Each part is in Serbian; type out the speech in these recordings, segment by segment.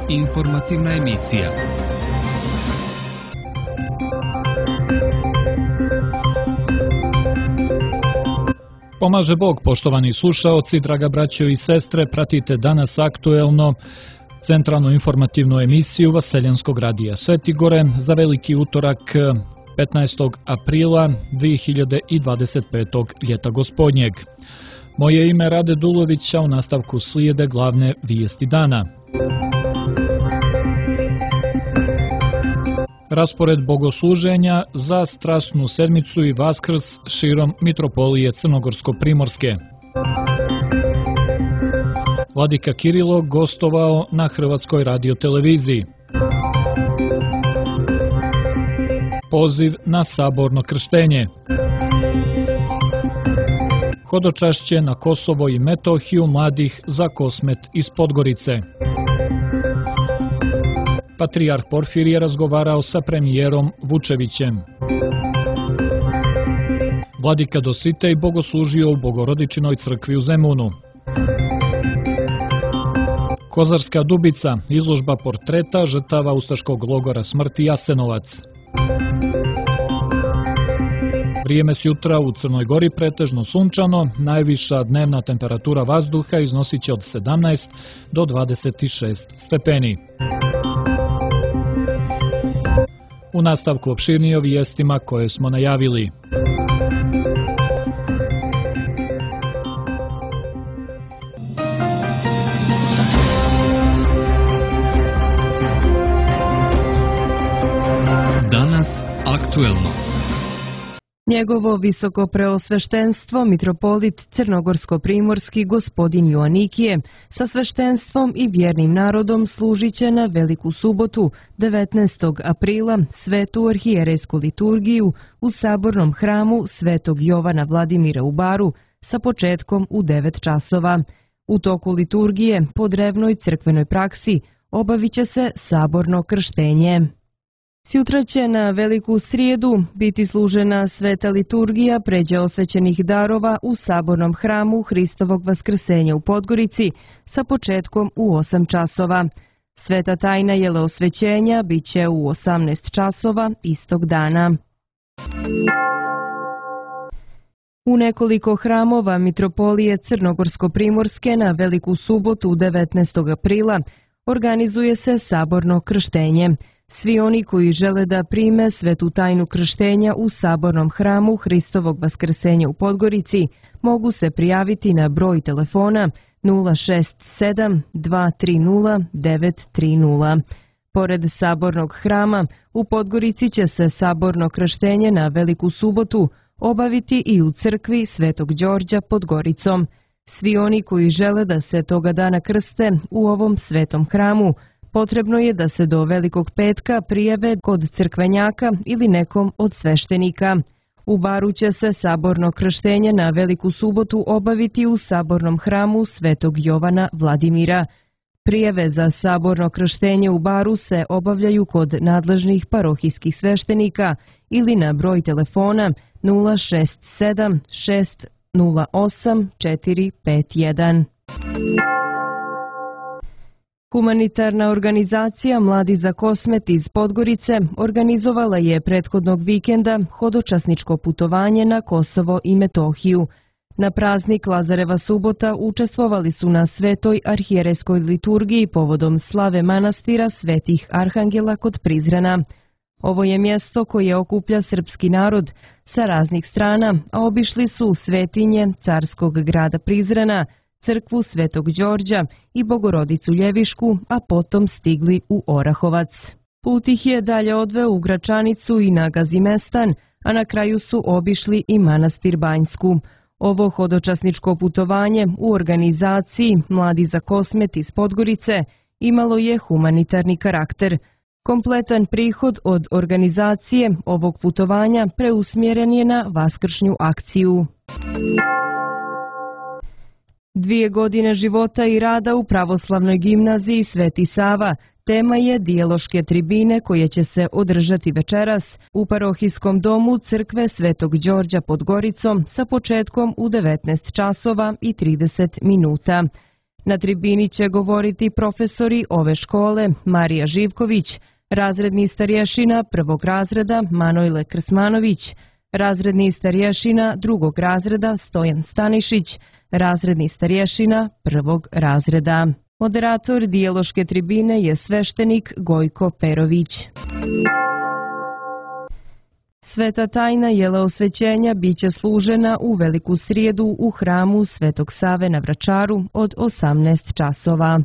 Informativna emisija. Pomaže Bog, poštovani slušaoci, draga braćo i sestre, pratite danas aktuelno centralnu informativnu emisiju Vaseljanskog radija Svetigore za veliki utorak 15. aprila 2025. ljeta gospodnjeg. Moje ime je Rade Dulović, a u nastavku slijede glavne vijesti dana. Raspored bogosluženja za Strasnu sedmicu i Vaskrs širom Mitropolije Crnogorsko-Primorske. Vladika Kirilo gostovao na Hrvatskoj radioteleviziji. Poziv na saborno krštenje. Hodočašće na Kosovo i Metohiju mladih za Kosmet iz Podgorice. Patrijarh Porfirije razgovarao sa premijerom Vučevićem. Vladika Dositej bogoslužio u Bogorodičinoj crkvi u Zemunu. Kozarska Dubica, izložba portreta žrtava ustaškog logora smrti Jasenovac. Vrijeme s jutra u Crnoj Gori pretežno sunčano, najviša dnevna temperatura vazduha iznosit će od 17 do 26 stepeni. U nastavku opširnije o vijestima koje smo najavili. Danas aktuelno. Njegovo visoko preosveštenstvo mitropolit Crnogorsko-Primorski gospodin Joanikije sa sveštenstvom i vjernim narodom služit će na Veliku subotu 19. aprila svetu arhijerejsku liturgiju u sabornom hramu Svetog Jovana Vladimira u Baru sa početkom u 9 časova. U toku liturgije po drevnoj crkvenoj praksi obavit će se saborno krštenje. Sjutra će na Veliku srijedu biti služena sveta liturgija pređe osvećenih darova u sabornom hramu Hristovog vaskrsenja u Podgorici sa početkom u 8 časova. Sveta tajna jeleosvećenja bit će u 18 časova istog dana. U nekoliko hramova Mitropolije Crnogorsko-Primorske na Veliku subotu 19. aprila organizuje se saborno krštenje. Svi oni koji žele da prime svetu tajnu krštenja u sabornom hramu Hristovog vaskrsenja u Podgorici mogu se prijaviti na broj telefona 067 230 930. Pored sabornog hrama, u Podgorici će se saborno krštenje na Veliku subotu obaviti i u crkvi Svetog Đorđa pod Goricom. Svi oni koji žele da se toga dana krste u ovom svetom hramu potrebno je da se do Velikog petka prijave kod crkvenjaka ili nekom od sveštenika. U Baru će se saborno krštenje na Veliku subotu obaviti u sabornom hramu Svetog Jovana Vladimira. Prijave za saborno krštenje u Baru se obavljaju kod nadležnih parohijskih sveštenika ili na broj telefona 067 608 451. Humanitarna organizacija Mladi za Kosmet iz Podgorice organizovala je prethodnog vikenda hodočasničko putovanje na Kosovo i Metohiju. Na praznik Lazareva subota učestvovali su na svetoj arhijerejskoj liturgiji povodom slave manastira Svetih Arhangela kod Prizrena. Ovo je mjesto koje okuplja srpski narod sa raznih strana, a obišli su svetinje carskog grada Prizrena, crkvu Svetog Đorđa i Bogorodicu Ljevišku, a potom stigli u Orahovac. Put ih je dalje odveo u Gračanicu i na Gazimestan, a na kraju su obišli i manastir Banjsku. Ovo hodočasničko putovanje u organizaciji Mladi za Kosmet iz Podgorice imalo je humanitarni karakter. Kompletan prihod od organizacije ovog putovanja preusmjeren je na vaskršnju akciju. 2 godine života i rada u pravoslavnoj gimnaziji Sveti Sava tema je dijaloške tribine koje će se održati večeras u parohijskom domu crkve Svetog Đorđa pod Goricom sa početkom u 19 časova i 30 minuta. Na tribini će govoriti profesori ove škole Marija Živković, razredni starješina prvog razreda Manojle Krsmanović, razredni starješina drugog razreda Stojan Stanišić, razredni starješina prvog razreda. Moderator dijaloške tribine je sveštenik Gojko Perović. Sveta tajna jeleosvećenja biće služena u Veliku srijedu u hramu Svetog Save na Vračaru od 18 časova.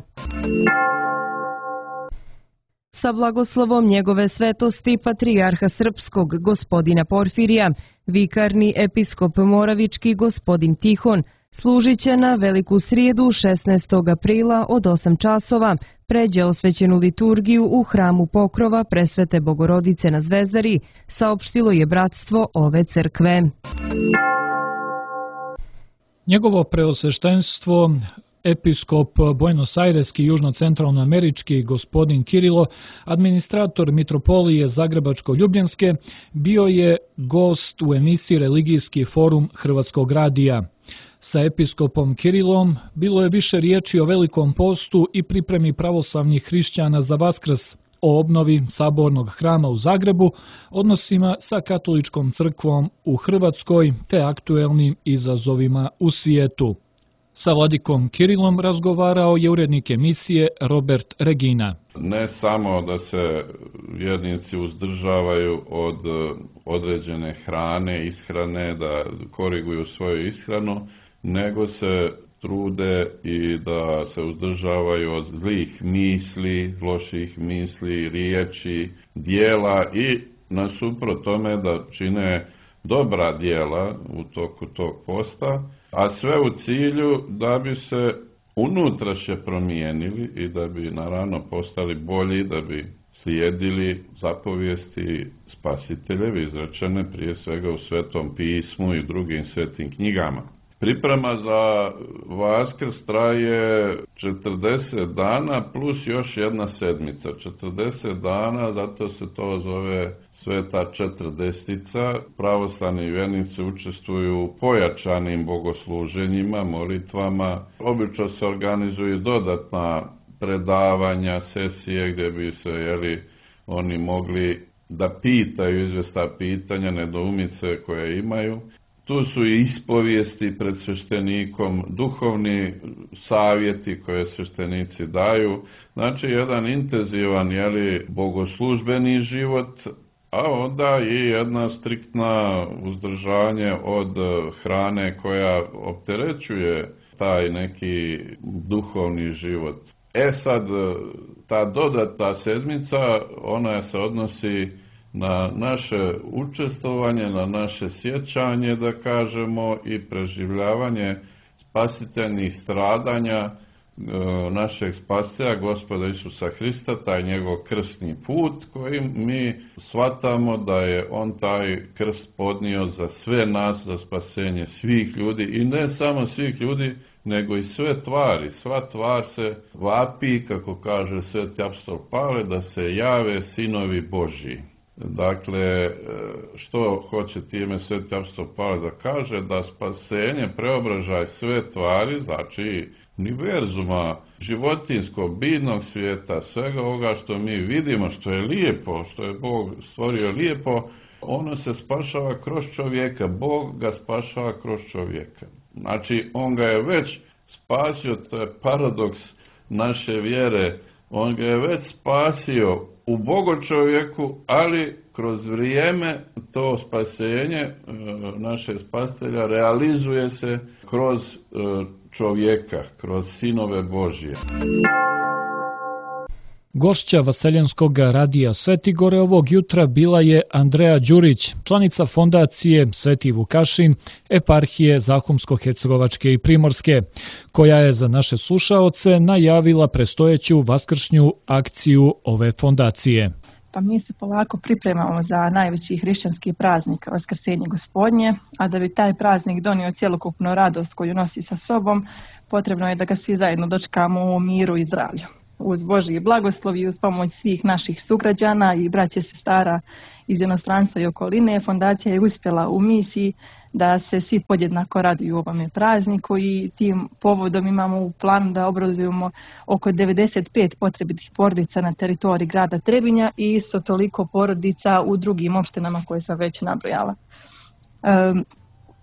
Sa blagoslovom njegove svetosti patrijarha srpskog gospodina Porfirija, vikarni episkop Moravički gospodin Tihon služit će na Veliku srijedu 16. aprila od 8 časova pređe osvećenu liturgiju u hramu Pokrova Presvete Bogorodice na Zvezdari, saopštilo je bratstvo ove crkve. Njegovo preosveštenstvo episkop Buenos Aireski južno-centralnoamerički gospodin Kirilo, administrator mitropolije Zagrebačko-Ljubljanske, bio je gost u emisiji Religijski forum Hrvatskog radija. Sa episkopom Kirilom bilo je više riječi o Velikom postu i pripremi pravoslavnih hrišćana za Vaskrs, o obnovi sabornog hrama u Zagrebu, odnosima sa katoličkom crkvom u Hrvatskoj te aktuelnim izazovima u svijetu. Sa vladikom Kirilom razgovarao je urednik emisije Robert Regina. Ne samo da se vjernici uzdržavaju od određene hrane, ishrane, da koriguju svoju ishranu, nego se trude i da se uzdržavaju od zlih misli, loših misli, riječi, dijela i nasuprot tome da čine dobra dijela u toku tog posta, a sve u cilju da bi se unutrašnje promijenili i da bi naravno postali bolji, da bi slijedili zapovijesti Spasiteljevi izrečene prije svega u Svetom pismu i drugim svetim knjigama. Priprema za Vaskrs traje 40 dana plus još jedna sedmica. 40 dana, zato se to zove Sveta četrdestica. Pravoslavni vjernici učestvuju u pojačanim bogosluženjima, molitvama. Obično se organizuju dodatna predavanja, sesije gdje bi se oni mogli da pitaju izvjesna pitanja, nedoumice koje imaju. Tu su i ispovijesti pred sveštenikom, duhovni savjeti koje sveštenici daju. Znači jedan intenzivan bogoslužbeni život, a onda i jedna striktna uzdržanje od hrane koja opterećuje taj neki duhovni život. Sad, ta dodatna sedmica, ona se odnosi na naše učestvovanje, na naše sjećanje, da kažemo, i preživljavanje spasiteljnih stradanja našeg spasitelja, Gospoda Isusa Hrista, taj njegov krstni put koji mi shvatamo da je on taj krst podnio za sve nas, za spasenje svih ljudi i ne samo svih ljudi, nego i sve tvari. Sva tvar se vapi, kako kaže sveti apostol Pavle, da se jave sinovi Božji. Dakle, što hoće time sveti apostol Pavle da kaže? Da spasenje, preobražaj sve tvari, znači univerzuma, životinskog, biljnog svijeta, svega ovoga što mi vidimo, što je lijepo, što je Bog stvorio lijepo, ono se spašava kroz čovjeka. Bog ga spašava kroz čovjeka. Znači, on ga je već spasio, to je paradoks naše vjere, on ga je već spasio u Bogočovjeku, ali kroz vrijeme to spasenje naše spasitelja realizuje se kroz čovjeka, kroz sinove Božje. Gošća Vaseljenskog radija Svetigore ovog jutra bila je Andreja Đurić, članica fondacije Sveti Vukašin, eparhije Zahumsko-Hercegovačke i Primorske, koja je za naše slušaoce najavila prestojeću vaskršnju akciju ove fondacije. Pa mi se polako pripremamo za najveći hrišćanski praznik, Vaskrsenje Gospodnje, a da bi taj praznik donio cjelokupnu radost koju nosi sa sobom, potrebno je da ga svi zajedno dočekamo u miru i zdravlju. Uz Božji blagoslov i uz pomoć svih naših sugrađana i braće sestara iz inostranstva i okoline, fondacija je uspjela u misiji da se svi podjednako raduju ovome prazniku i tim povodom imamo u planu da obrazujemo oko 95 potrebitih porodica na teritoriji grada Trebinja i isto toliko porodica u drugim opštinama koje sam već nabrojala.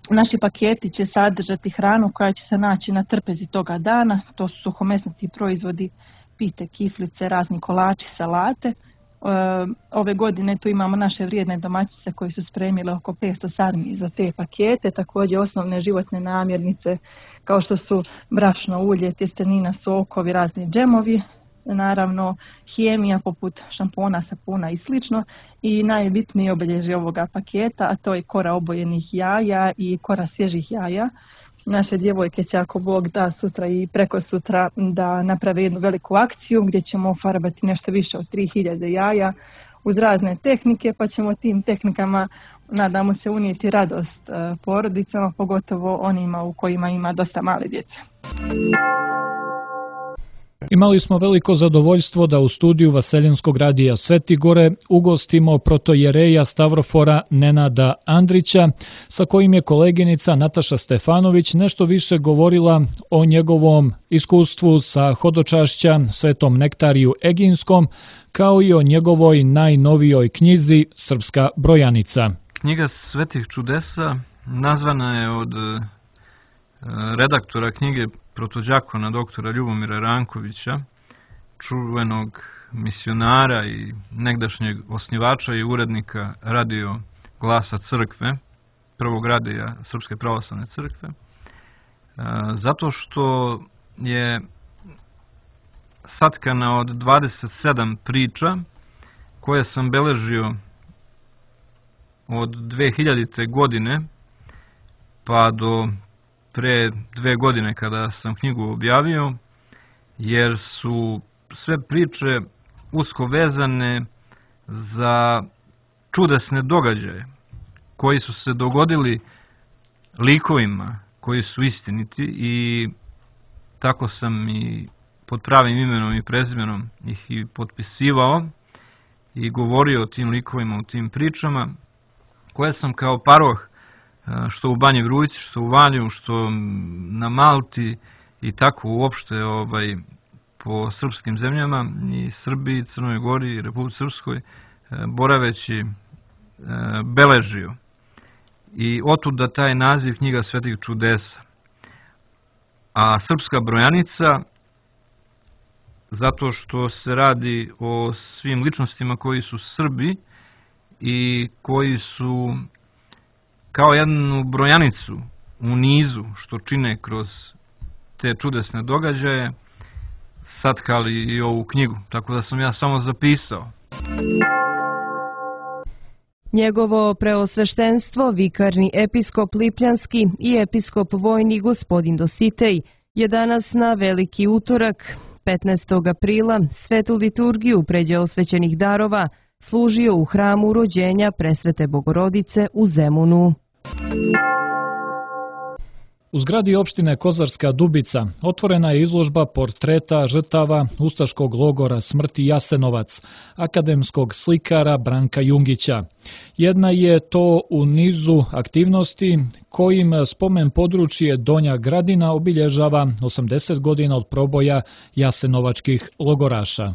Naši paketi će sadržati hranu koja će se naći na trpezi toga dana, to su suhomesnati proizvodi, pite, kiflice, razni kolači, salate. Ove godine tu imamo naše vrijedne domaćice koji su spremile oko 500 sarmi za te pakete, također osnovne životne namirnice kao što su brašno, ulje, tjestenina, sokovi, razni džemovi, naravno hemija poput šampona, sapuna i slično i najbitnije obilježje ovoga paketa, a to je kora obojenih jaja i kora svježih jaja. Naše djevojke će, ako Bog da, sutra i preko sutra da naprave jednu veliku akciju gdje ćemo farbati nešto više od 3000 jaja uz razne tehnike, pa ćemo tim tehnikama, nadamo se, unijeti radost porodicama, pogotovo onima u kojima ima dosta male djece. Imali smo veliko zadovoljstvo da u studiju Vaseljenskog radija Sveti Gore ugostimo protojereja Stavrofora Nenada Andrića, sa kojim je koleginica Nataša Stefanović nešto više govorila o njegovom iskustvu sa hodočašća Svetom Nektariju Eginskom, kao i o njegovoj najnovijoj knjizi Srpska brojanica. Knjiga Svetih čudesa nazvana je od redaktora knjige protođakona doktora Ljubomira Rankovića, čuvenog misionara i negdašnjeg osnivača i urednika radio Glasa crkve, prvog radija Srpske pravoslavne crkve, zato što je satkana od 27 priča koje sam beležio od 2000. godine pa do pre 2 godine kada sam knjigu objavio, jer su sve priče usko vezane za čudesne događaje koji su se dogodili likovima koji su istiniti i tako sam i pod pravim imenom i prezimenom ih i potpisivao i govorio o tim likovima, o tim pričama koje sam kao paroh što u Banji Vrujci, što u Valju, što na Malti i tako uopšte po srpskim zemljama i Srbiji, Crnoj Gori i Republici Srpskoj boraveći beležio. I otuda taj naziv knjiga Svetih čudesa. A Srpska brojanica zato što se radi o svim ličnostima koji su Srbi i koji su kao jednu brojanicu u nizu što čine kroz te čudesne događaje satkali i ovu knjigu, tako da sam ja samo zapisao. Njegovo preosveštenstvo, vikarni episkop Lipljanski i episkop vojni gospodin Dositej je danas na Veliki utorak, 15. aprila, svetu liturgiju pređe osvećenih darova služio u hramu rođenja Presvete Bogorodice u Zemunu. U zgradi opštine Kozarska Dubica otvorena je izložba portreta žrtava ustaškog logora smrti Jasenovac, akademskog slikara Branka Jungića. Jedna je to u nizu aktivnosti kojim spomen područje Donja Gradina obilježava 80 godina od proboja jasenovačkih logoraša.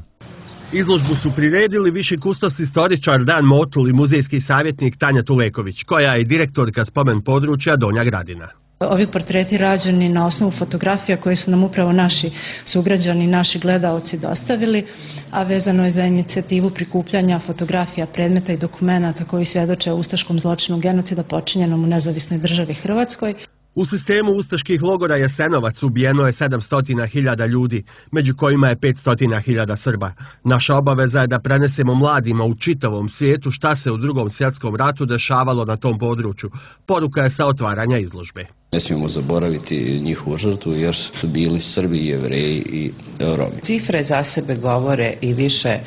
Izložbu su priredili viši kustos istoričar Dan Motul i muzejski savjetnik Tanja Tuleković, koja je direktorka spomen područja Donja Gradina. Ovi portreti rađeni na osnovu fotografija koje su nam upravo naši sugrađani, naši gledaoci dostavili, a vezano je za inicijativu prikupljanja fotografija, predmeta i dokumenata koji svjedoče o ustaškom zločinu genocida počinjenom u nezavisnoj državi Hrvatskoj. U sistemu ustaških logora Jasenovac ubijeno je 700.000 ljudi, među kojima je 500.000 Srba. Naša obaveza je da prenesemo mladima u čitavom svijetu šta se u Drugom svjetskom ratu dešavalo na tom području. Poruka je sa otvaranja izložbe. Ne smijemo zaboraviti njihovu žrtvu jer su bili Srbi, Jevreji i Romi. Cifre za sebe govore i više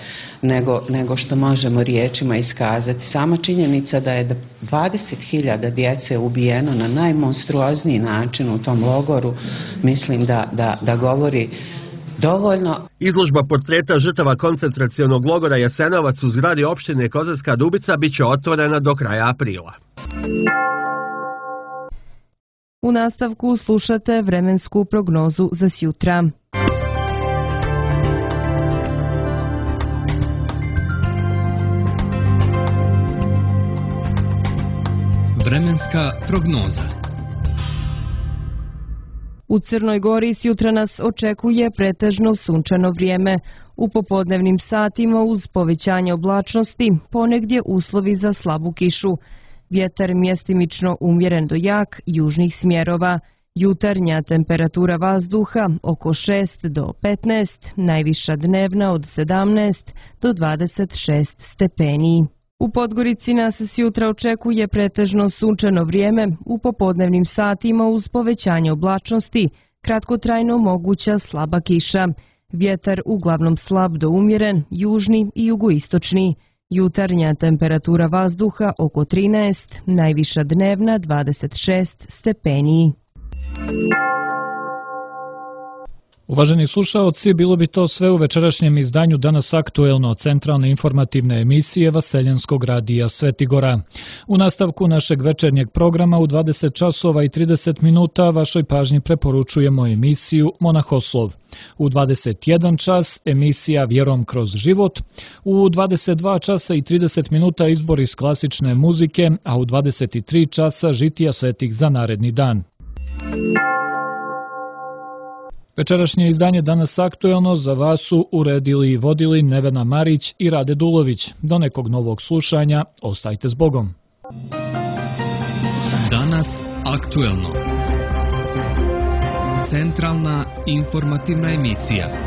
nego što možemo riječima iskazati. Sama činjenica da je 20.000 djece ubijeno na najmonstruozniji način u tom logoru, mislim da govori dovoljno. Izložba portreta žrtava koncentracionog logora Jasenovac u zgradi opštine Kozarska Dubica biće otvorena do kraja aprila. U nastavku slušate vremensku prognozu za sjutra. Vremenska prognoza. U Crnoj Gori sjutra nas očekuje pretežno sunčano vrijeme. U popodnevnim satima uz povećanje oblačnosti ponegdje uslovi za slabu kišu. Vjetar mjestimično umjeren do jak južnih smjerova. Jutarnja temperatura vazduha oko 6 do 15, najviša dnevna od 17 do 26 stepeni. U Podgorici nas sjutra očekuje pretežno sunčano vrijeme, u popodnevnim satima uz povećanje oblačnosti, kratkotrajno moguća slaba kiša. Vjetar uglavnom slab do umjeren, južni i jugoistočni. Jutarnja temperatura vazduha oko 13, najviša dnevna 26 stepeni. Uvaženi slušaoci, bilo bi to sve u večerašnjem izdanju Danas aktuelno centralne informativne emisije Vaseljenskog radija Svetigora. U nastavku našeg večernjeg programa u 20 časova i 30 minuta vašoj pažnji preporučujemo emisiju Monahoslov. U 21 čas emisija Vjerom kroz život, u 22 časa i 30 minuta izbor iz klasične muzike, a u 23 časa žitija svetih za naredni dan. Večerašnje izdanje Danas aktuelno za vas su uredili i vodili Nevena Marić i Rade Dulović. Do nekog novog slušanja, ostajte s Bogom. Danas aktuelno. Centralna informativna emisija.